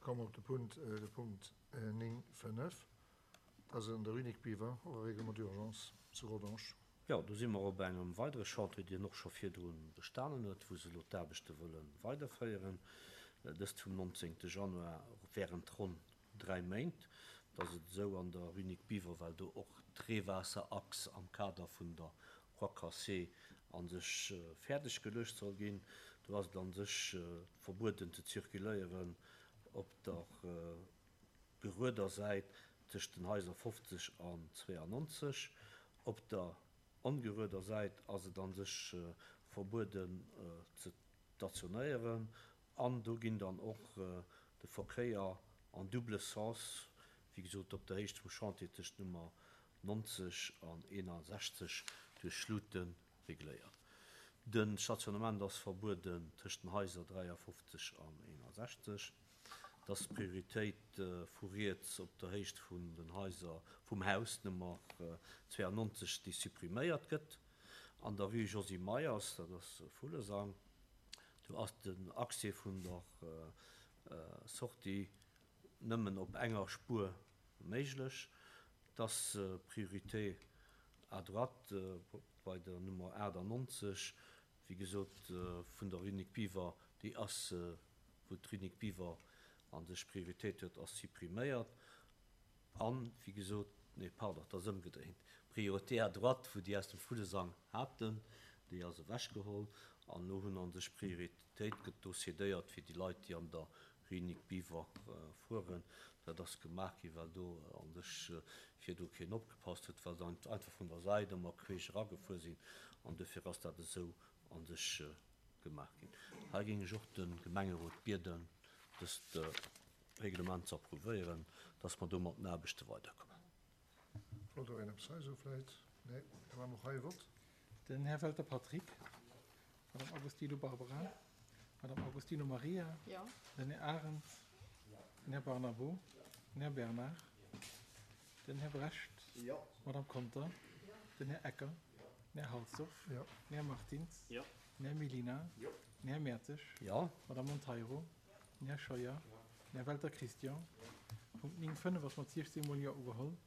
Komme mer op de Punt, de Punkt 9, 5. Dat ass an der Rue Nic Biver, och e Règlement d'urgence zu Rodange. Jo, do si mer op engem weidere Chantier, deen och scho virdru bestanen huet, wou se elo d'Aarbechte wëlle weiderféieren, dëst vum 19. Januar während ronn 3 Méint. Et ass et esou an der Rue Nic Biver, well do och d'Reewaasserachs am Kader vun der Croix Cassée a sech fäerdeg geluecht soll ginn, do ass et a sech verbueden ze zirkuléieren op der gerueder Säit tëscht den Haiser 50 an 92. Op der ongerueder Säit ass et an sech verbueden ze stationéieren an do ginn dann och de Verkéier en double sens, wéi gesot op der Héicht vum Chantier tëscht Nummer 90 an 61 duerch Luuten regléiert. De Stationnement ass verbueden tëscht den Haiser 53 an 61. Et ass d'Prioritéit vu riets op der Héicht vun den Haiser vum Haus Nummer 92, déi suppriméiert gëtt. An der Rue Josy Meyers, dat ass Vullesang, do ass den Accès vun der Sortie nëmmen op enger Spuer méiglech. Et ass Priorité à droite bei der Nummer 98, wéi gesot, vun der Rue Nic Biver, déi ass, wou d'Rue Nic Biver a sech Prioritéit huet, ass suppriméiert. An, wéi gesot, nee, pardon, et ass ëmgedréint, Priorité à droite, wou déi aus dem Vullesang haten, déi ass ewechgeholl. An elo hunn a sech Prioritéit gëtt do cédéiert fir déi Leit, déi an der Rue Nic Biver fueren. Dat ass gemaach ginn, well do a sech virdu keen opgepasst huet, well se einfach vun der Säit ëmmer queesch eragefuer sinn. An duerfir ass dat esou a sech gemaach ginn. Hei géing ech och de Gemengerot bieden, dëst Reglement ze approuvéieren, dass mer do mat den Aarbechte weiderkommen. Wollt och een eppes hei soen vläit? Nee, da maache mer och hei e Vott. Den Här Welter Patrick. Madame Agostino Barbara. Madame Agostino Maria. Den Här Arendt. Den Här Barnabo. Den Här Bernard. Den Här Brecht. Madame Conter. Den Här Ecker. Den Här Halsdorf. Den Här Martins. Den Här Mellina. Den Här Mertzig. Madame Monteiro. Den Här Scheuer. Den Här Welter Christian. Punkt 9, 5 ass mat 16 mol Jo ugeholl.